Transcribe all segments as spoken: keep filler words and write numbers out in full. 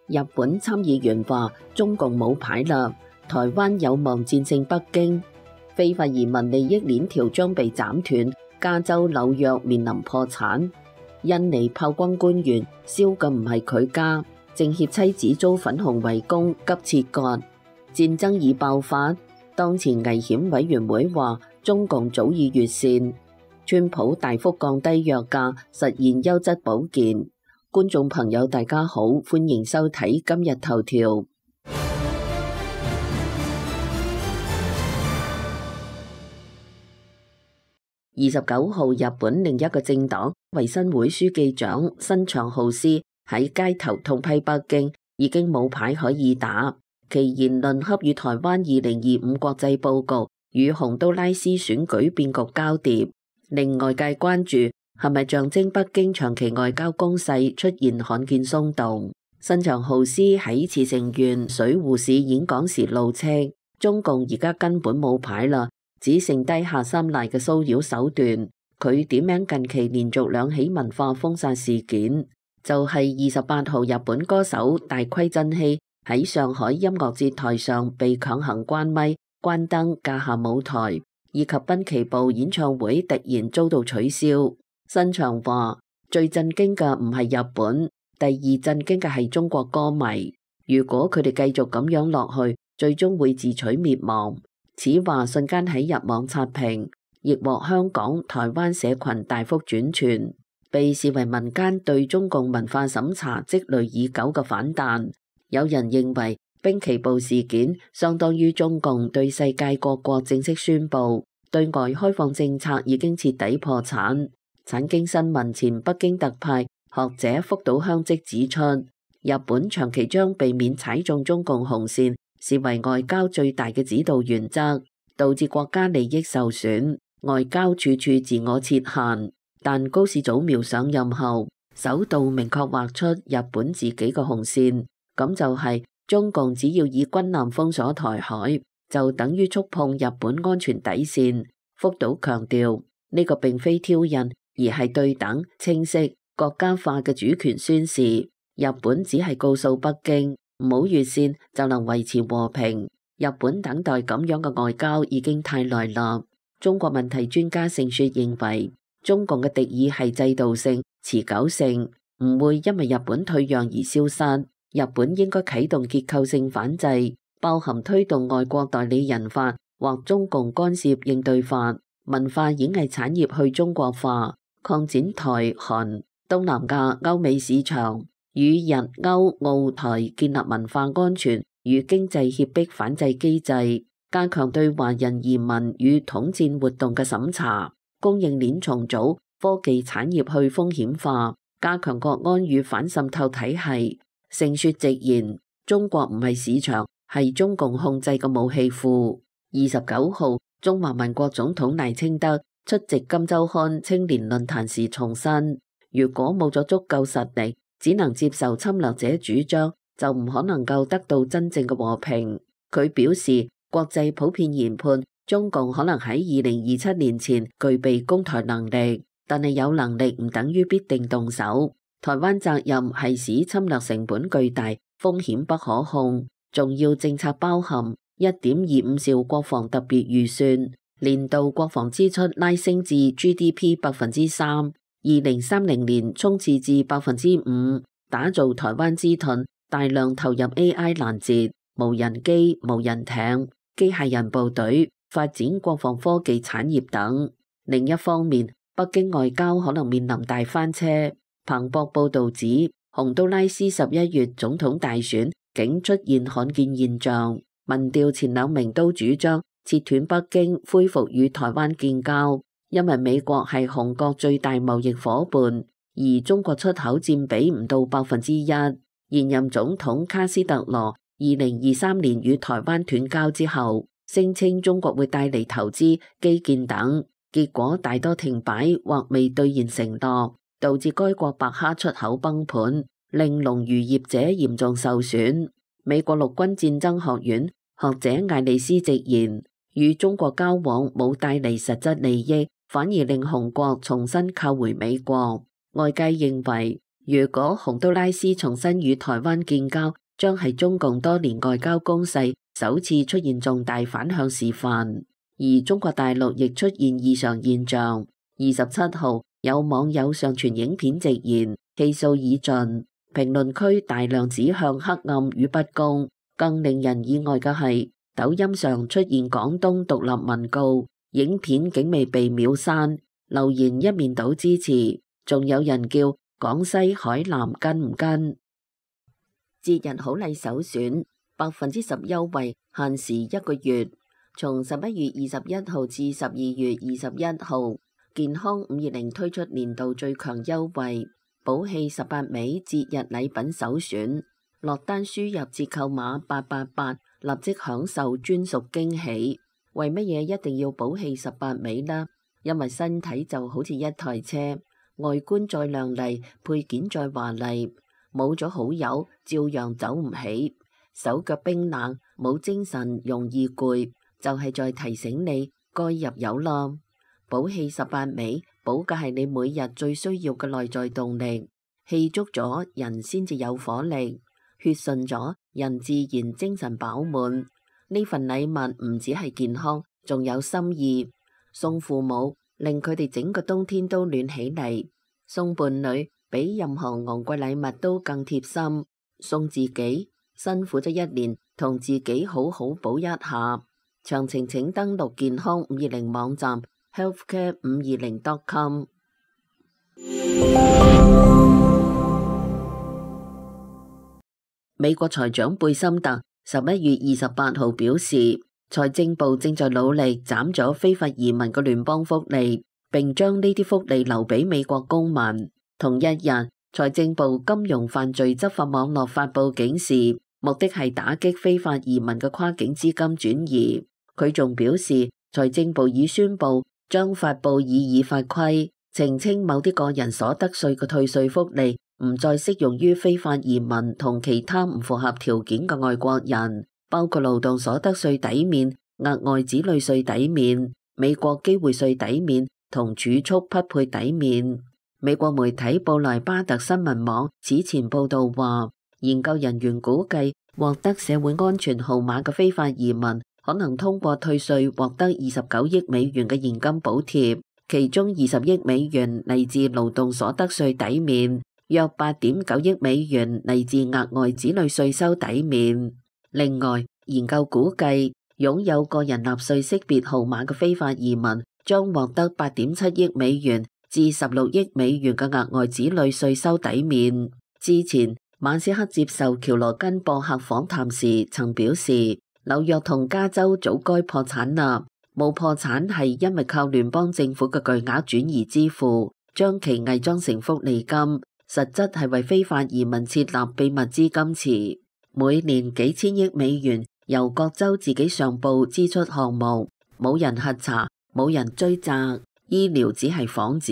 日本參議員話中共冇牌啦，台灣有望戰勝北京。非法移民利益鏈條將被斬斷，加州、紐約面臨破產。印尼炮轟官員，燒嘅唔係佢家。政協妻子遭粉紅圍攻，急切割。戰爭已爆發，當前危險委員會話中共早已越線。川普大幅降低藥價，實現優質保健。觀眾朋友大家好，歡迎收睇今日頭條。二十九號，日本另一個政黨維新會書記長新長浩司喺街頭痛批北京已經冇牌可以打，其言論恰與台灣二零二五國際報告與洪都拉斯選舉變局交疊，令外界關注係咪象徵北京長期外交攻勢出現罕見鬆動。新長浩司喺茨城縣水戶市演講時怒斥，中共而家根本冇牌啦，只剩低下三賴嘅騷擾手段。佢點名近期連續兩起文化封殺事件，就係二十八號日本歌手大堀真希喺上海音樂節台上被強行關咪、關燈、架下舞台，以及濱崎步演唱會突然遭到取消。新長話最震驚嘅唔係日本，第二震驚嘅係中國歌迷。如果佢哋繼續咁樣落去，最終會自取滅亡。此話瞬間喺日網刷屏，亦獲香港、台灣社群大幅轉傳，被視為民間對中共文化審查積累已久嘅反彈。有人認為濱崎步事件相當於中共對世界各國正式宣布對外開放政策已經徹底破產。產經新聞前北京特派學者福島香織指出，日本長期將避免踩中中共紅線視為外交最大嘅指導原則，導致國家利益受損，外交處處自我設限。但高市早苗上任後，首度明確劃出日本自己嘅紅線，咁就係中共只要以軍艦封鎖台海，就等於觸碰日本安全底線。福島強調，呢個並非挑釁，而係對等、清晰、國家化嘅主權宣示。日本只係告訴北京，唔好越線就能維持和平。日本等待咁樣嘅外交已經太耐啦。中國問題專家盛雪認為，中共嘅敵意係制度性、持久性，唔會因為日本退讓而消失。日本應該啟動結構性反制，包含推動外國代理人法或中共干涉應對法，文化演藝產業去中國化，擴展台韓、東南亞、歐美市場，與日歐澳台建立文化安全與經濟脅迫反制機制，加強對華人移民與統戰活動嘅審查，供應鏈重組，科技產業去風險化，加強國安與反滲透體系。盛雪直言，中國唔係市場，係中共控制嘅武器庫。二十九號，中華民國總統賴清德出席金周刊青年論壇時重申，如果冇咗足夠實力，只能接受侵略者主張，就唔可能夠得到真正嘅和平。佢表示，國際普遍研判中共可能喺二零二七年前具備攻台能力，但係有能力唔等於必定動手。台灣責任係使侵略成本巨大，風險不可控。重要政策包含一點二五兆國防特別預算，年度國防支出拉升至 G D P 百分之三，二零三零年衝刺至百分之五，打造台灣之盾，大量投入 A I 攔截、無人機、無人艇、機械人部隊，發展國防科技產業等。另一方面，北京外交可能面臨大翻車。彭博報導指，洪都拉斯十一月總統大選竟出現罕見現象，民調前兩名都主張切斷北京恢復與台灣建交，因為美國係紅國最大貿易夥伴，而中國出口佔比唔到百分之一。現任總統卡斯特羅二零二三年與台灣斷交之後，聲稱中國會帶嚟投資、基建等，結果大多停擺或未兌現承諾，導致該國白蝦出口崩盤，令農漁業者嚴重受損。美國陸軍戰爭學院學者艾利斯直言，與中國交往冇帶嚟實質利益，反而令紅國重新靠回美國。外界認為如果洪都拉斯重新與台灣建交，將係中共多年外交攻勢首次出現重大反向示範。而中國大陸亦出現異常現象。二十七號有網友上傳影片直言氣數已盡，評論區大量指向黑暗與不公。更令人意外嘅係，抖音上出現廣東獨立文告，影片竟未被秒刪，留言一面倒支持，仲有人叫廣西海南跟唔跟？節日好禮首選，百分之十優惠，限時一個月，從十一月二十一號至十二月二十一號，健康五二零推出年度最強優惠，寶氣十八味節日禮品首選，落單輸入折扣碼八八八，立即享受專屬驚喜。為乜嘢一定要寶氣十八味呢？因為身體就好似一台車，外觀再亮麗，配件再華麗，冇咗好友照樣走唔起，手腳冰冷，冇精神，容易攰，就係在提醒你該入油啦。寶氣十八味，補嘅係你每日最需要嘅內在動力，氣足咗人先至有火力，血順咗人自然精神飽滿。呢份禮物唔止係健康，仲有心意。送父母，令佢哋整個冬天都暖起嚟；送伴侶，比任何昂貴禮物都更貼心；送自己，辛苦咗一年，同自己好好補一下。詳情請登錄健康五二零網站 healthcare 五二零 dot com。美國財長貝森特十一月二十八號表示，財政部正在努力斬咗非法移民嘅聯邦福利，並將呢啲福利留俾美國公民。同一日，財政部金融犯罪執法網絡發布警示，目的係打擊非法移民嘅跨境資金轉移。佢仲表示，財政部已宣布將發布擬議法規，澄清某啲個人所得稅嘅退稅福利唔再適用於非法移民同其他唔符合條件嘅外國人，包括勞動所得稅抵免、額外子女稅抵免、美國機會稅抵免同儲蓄匹配抵免。美國媒體布萊巴特新聞網此前報道話，研究人員估計獲得社會安全號碼嘅非法移民可能通過退稅獲得二十九億美元嘅現金補貼，其中二十億美元嚟自勞動所得稅抵免，約八點九億美元嚟自額外子女稅收抵免。另外，研究估計擁有個人納稅識別號碼嘅非法移民將獲得八點七億美元至十六億美元嘅額外子女稅收抵免。之前，馬斯克接受喬羅根博客訪談時曾表示，紐約同加州早該破產啦，冇破產係因為靠聯邦政府嘅巨額轉移支付，將其偽裝成福利金，實質係為非法移民設立秘密資金池，每年幾千億美元由各州自己上報支出項目，冇人核查，冇人追責，醫療只係幌子，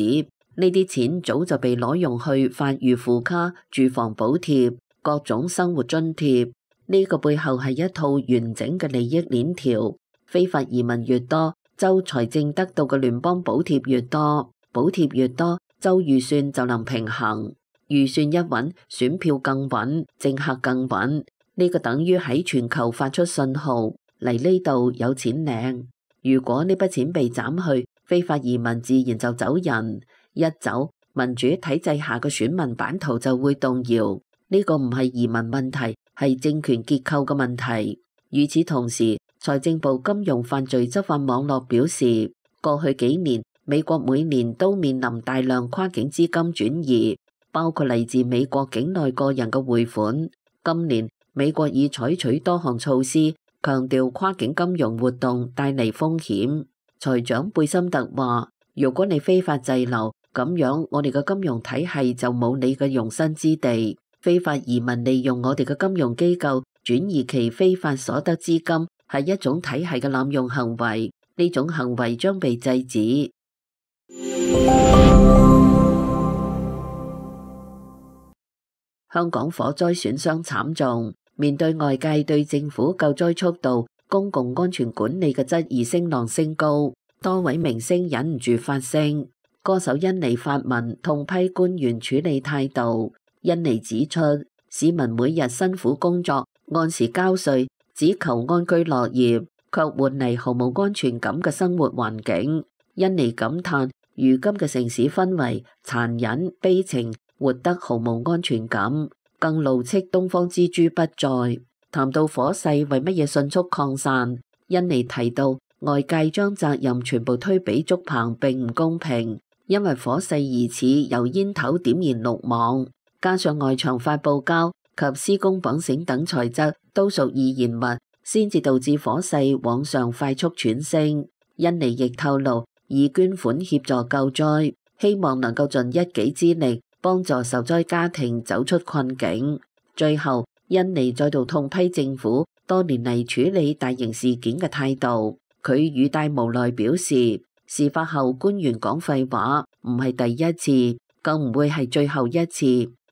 呢啲錢早就被攞用去發預付卡、住房補貼、各種生活津貼。呢個背後係一套完整嘅利益鏈條，非法移民越多，州財政得到嘅聯邦補貼越多，補貼越多，州預算就能平衡，預算一穩，選票更穩，政客更穩。呢個等於喺全球發出信號，嚟呢度有錢領。如果呢筆錢被斬去，非法移民自然就走人，一走，民主體制下嘅選民版圖就會動搖。呢個唔係移民問題，係政權結構嘅問題。與此同時，財政部金融犯罪執法網絡表示，過去幾年美國每年都面臨大量跨境資金轉移，包括嚟自美國境內個人嘅匯款。今年美國已採取多項措施，強調跨境金融活動帶嚟風險。財長貝森特話，如果你非法滯留，咁樣我哋嘅金融體系就冇你嘅容身之地。非法移民利用我哋嘅金融機構轉移其非法所得資金，係一種體系嘅濫用行為，呢種行為將被制止。香港火災損傷慘重，面對外界對政府救災速度、公共安全管理嘅質疑聲浪升高，多位明星忍唔住發聲。歌手甄妮發文痛批官員處理態度，恩尼指出，市民每日辛苦工作，按時交稅，只求安居樂業，卻換嚟毫無安全感嘅生活環境。恩尼感嘆，如今嘅城市氛圍殘忍悲情，活得毫無安全感，更怒斥東方之珠不再。談到火勢為乜嘢迅速擴散，恩尼提到外界將責任全部推俾竹棚並唔公平，因為火勢疑似由煙頭點燃綠網，加上外牆發泡膠及施工綁繩等材質都屬易燃物，先至導致火勢往上快速傳升。恩尼亦透露，已捐款協助救災，希望能夠盡一己之力幫助受災家庭走出困境。最後，恩尼再度痛批政府多年嚟處理大型事件嘅態度。佢語帶無奈表示，事發後官員講廢話唔係第一次，更唔會係最後一次。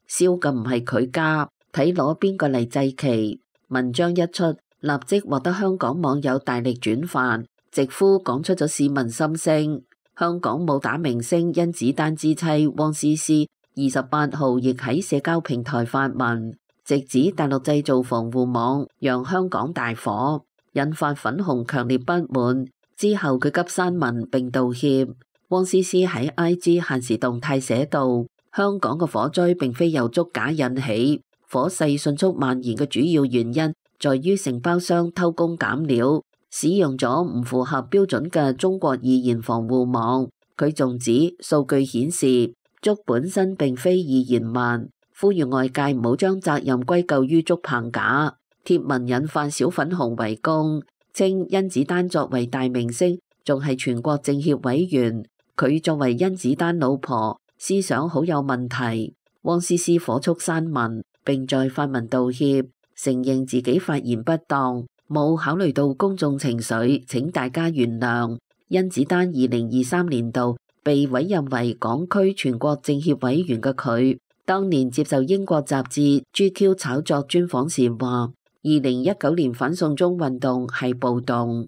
燒嘅唔係佢家，睇攞邊個嚟祭旗。文章一出，立即獲得香港網友大力轉發，直呼講出咗市民心聲。香港武打明星甄子丹之妻汪詩詩二十八號亦喺社交平台發文，直指大陸製造防護網讓香港大火，引發粉紅強烈不滿。之後佢急刪文並道歉。汪詩詩喺 I G 限時動態寫道：香港嘅火災並非由竹架引起，火勢迅速蔓延嘅主要原因在於承包商偷工減料，使用咗唔符合標準嘅中國易燃防護網。佢仲指數據顯示竹本身並非易燃物，呼籲外界唔好將責任歸咎於竹棚架。貼文引發小粉紅圍攻，稱甄子丹作為大明星，仲係全國政協委員，佢作為甄子丹老婆，思想好有問題。汪詩詩火速刪文，並在發文道歉，承認自己發言不當，冇考慮到公眾情緒，請大家原諒。甄子丹二零二三年度被委任為港區全國政協委員嘅佢，當年接受英國雜誌 G Q 炒作專訪時話，二零一九年反送中運動係暴動。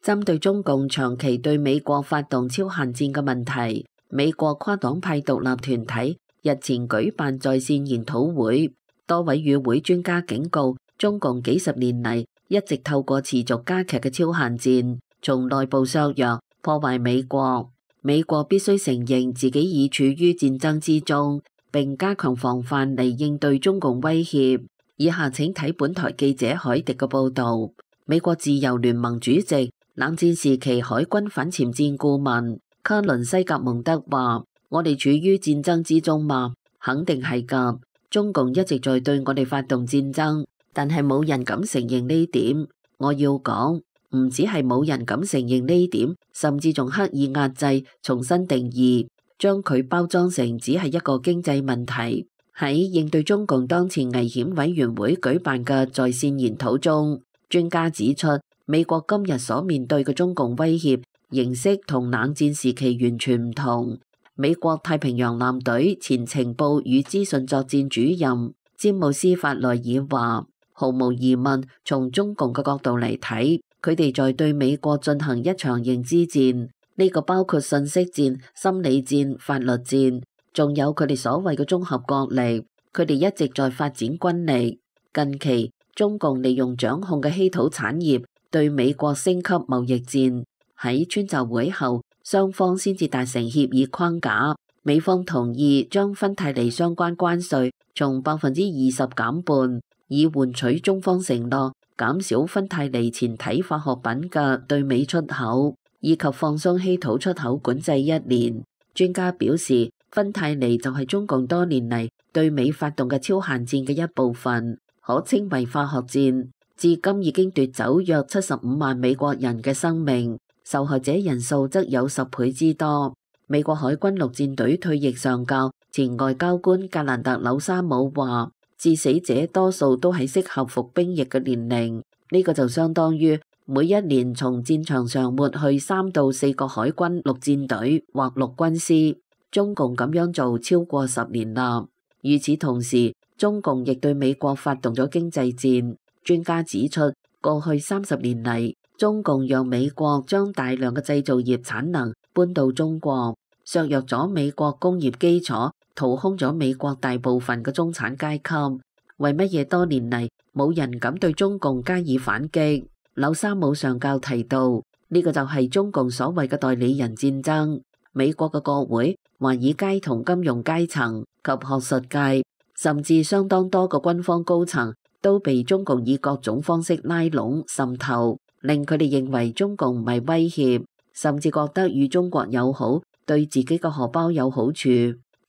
針對中共長期對美國發動超限戰嘅問題，美國跨黨派獨立團體日前舉辦在線研討會，多位與會專家警告，中共幾十年嚟一直透過持續加劇嘅超限戰，從內部削弱、破壞美國。美國必須承認自己已處於戰爭之中，並加強防範嚟應對中共威脅。以下請睇本台記者海迪嘅報導。美國自由聯盟主席、冷戰時期海軍反潛戰顧問卡倫西格蒙德話：我哋處於戰爭之中嘛？肯定係㗎。中共一直在對我哋發動戰爭，但係冇人敢承認呢點。我要講，唔止係冇人敢承認呢點，甚至仲刻意壓制、重新定義，將佢包裝成只係一個經濟問題。喺應對中共當前危險委員會舉辦嘅在線研討中，專家指出，美國今日所面對嘅中共威脅形式同冷戰時期完全唔同。美國太平洋艦隊前情報與資訊作戰主任詹姆斯法萊爾話，毫無疑問，從中共嘅角度嚟睇，佢哋在對美國進行一場認知戰，呢個包括信息戰、心理戰、法律戰，仲有佢哋所謂嘅綜合國力。佢哋一直在發展軍力。近期中共利用掌控嘅稀土產業對美國升級貿易戰。喺川習會後，雙方先至達成協議框架，美方同意將芬太尼相關關稅從百分之二十減半，以換取中方承諾減少芬太尼前體化學品嘅對美出口，以及放鬆稀土出口管制一年。專家表示，芬太尼就係中共多年嚟對美發動嘅超限戰嘅一部分，可稱為化學戰。至今已經奪走約七十五萬美國人嘅生命，受害者人數則有十倍之多。美國海軍陸戰隊退役上校、前外交官格蘭特紐沙姆話，致死者多數都喺適合服兵役嘅年齡，呢個就相當於每一年從戰場上抹去三到四個海軍陸戰隊或陸軍師。中共咁樣做超過十年啦。與此同時，中共亦對美國發動咗經濟戰。專家指出，過去三十年嚟，中共讓美國將大量嘅製造業產能搬到中國，削弱咗美國工業基礎，掏空咗美國大部分嘅中產階級。為乜嘢多年嚟冇人敢對中共加以反擊？柳沙姆上校提到，呢個就係中共所謂嘅代理人戰爭。美國嘅國會、華爾街同金融階層及學術界，甚至相當多個軍方高層，都被中共以各種方式拉攏滲透，令佢哋認為中共唔係威脅，甚至覺得與中國友好對自己嘅荷包有好處。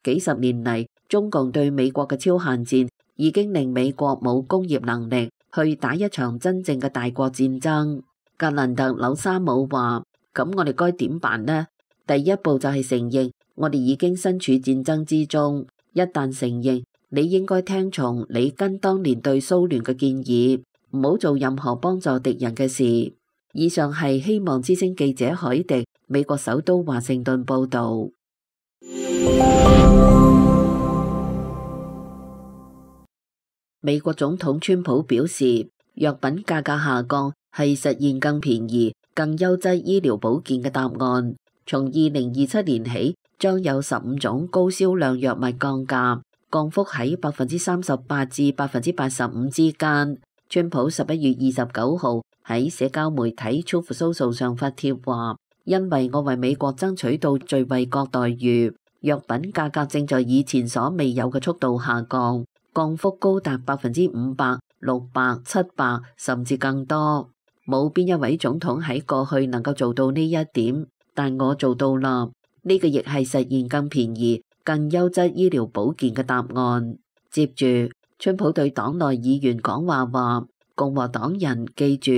幾十年嚟，中共對美國嘅超限戰已經令美國冇工業能力去打一場真正嘅大國戰爭。格蘭特紐沙姆話：咁我哋該點辦呢？第一步就係承認我哋已經身處戰爭之中。一旦承認，你應該聽從里根當年對蘇聯嘅建議，唔好做任何幫助敵人嘅事。以上係希望之聲記者海迪，美國首都華盛頓報道。美國總統川普表示，藥品價格下降係實現更便宜、更優質醫療保健嘅答案。從二零二七年起，將有十五種高銷量藥物降價，降幅喺百分之三十八至百分之八十五之間。川普十一月二十九號喺社交媒體 Truth Social 上發帖話：因為我為美國爭取到最惠國待遇，藥品價格正在以前所未有嘅速度下降，降幅高達百分之五百、六百、七百，甚至更多。冇邊一位總統喺過去能夠做到呢一點。但我做到啦，呢個亦係實現更便宜、更優質醫療保健嘅答案。接住，川普對黨內議員講話話：共和黨人記住，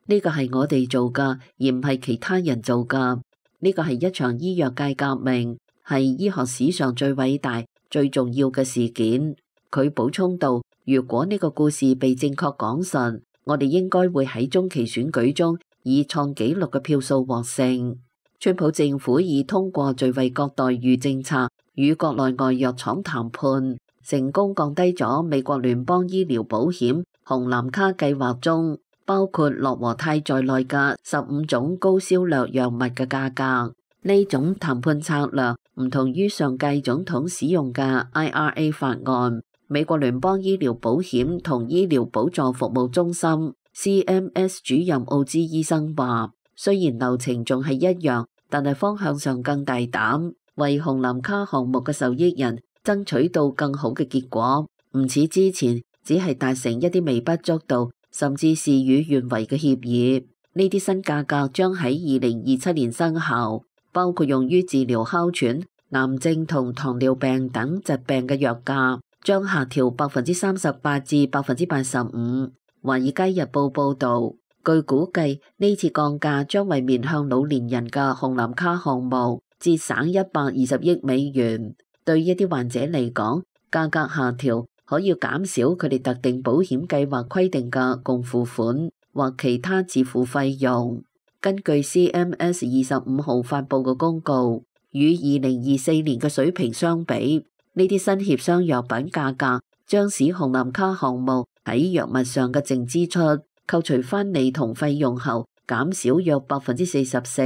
呢個係我哋做㗎，而唔係其他人做㗎。呢個係一場醫藥界革命，係醫學史上最偉大、最重要嘅事件。佢補充道：如果呢個故事被正確講述，我哋應該會喺中期選舉中以創紀錄嘅票數獲勝。川普政府已通過最惠國待遇政策與國內外藥廠談判，成功降低咗美國聯邦醫療保險紅藍卡計劃中包括諾和泰在內嘅十五種高銷量藥物嘅價格。呢種談判策略唔同於上屆總統使用嘅 I R A 法案。美國聯邦醫療保險同醫療補助服務中心 C M S 主任奧茲醫生話：雖然流程仲係一樣，但係方向上更大膽，為紅藍卡項目嘅受益人爭取到更好嘅結果。唔似之前只係達成一啲微不足道，甚至事與願違嘅協議。呢啲新價格將喺二零二七年生效，包括用於治療哮喘、癌症同糖尿病等疾病嘅藥價將下調百分之三十八至百分之八十五。華爾街日報報導。據估計，呢次降價將為面向老年人嘅紅藍卡項目節省一百二十億美元。對一啲患者嚟講，價格下調可以減少佢哋特定保險計劃規定嘅共付款或其他自付費用。根據 C M S 二十五號發布嘅公告，與二零二四年嘅水平相比，呢啲新協商藥品價格將使紅藍卡項目喺藥物上嘅淨支出扣除翻利同費用後，減少約百分之四十四。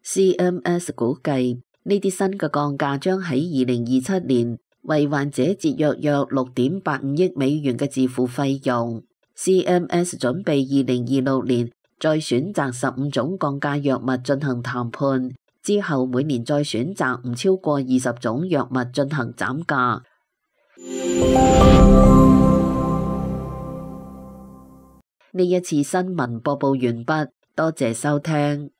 C M S 估計呢啲新嘅降價將喺二零二七年為患者節約約六點八五億美元嘅自付費用。C M S 準備二零二六年再選擇十五種降價藥物進行談判，之後每年再選擇唔超過二十種藥物進行減價。呢一次新聞播報完畢，多謝收聽。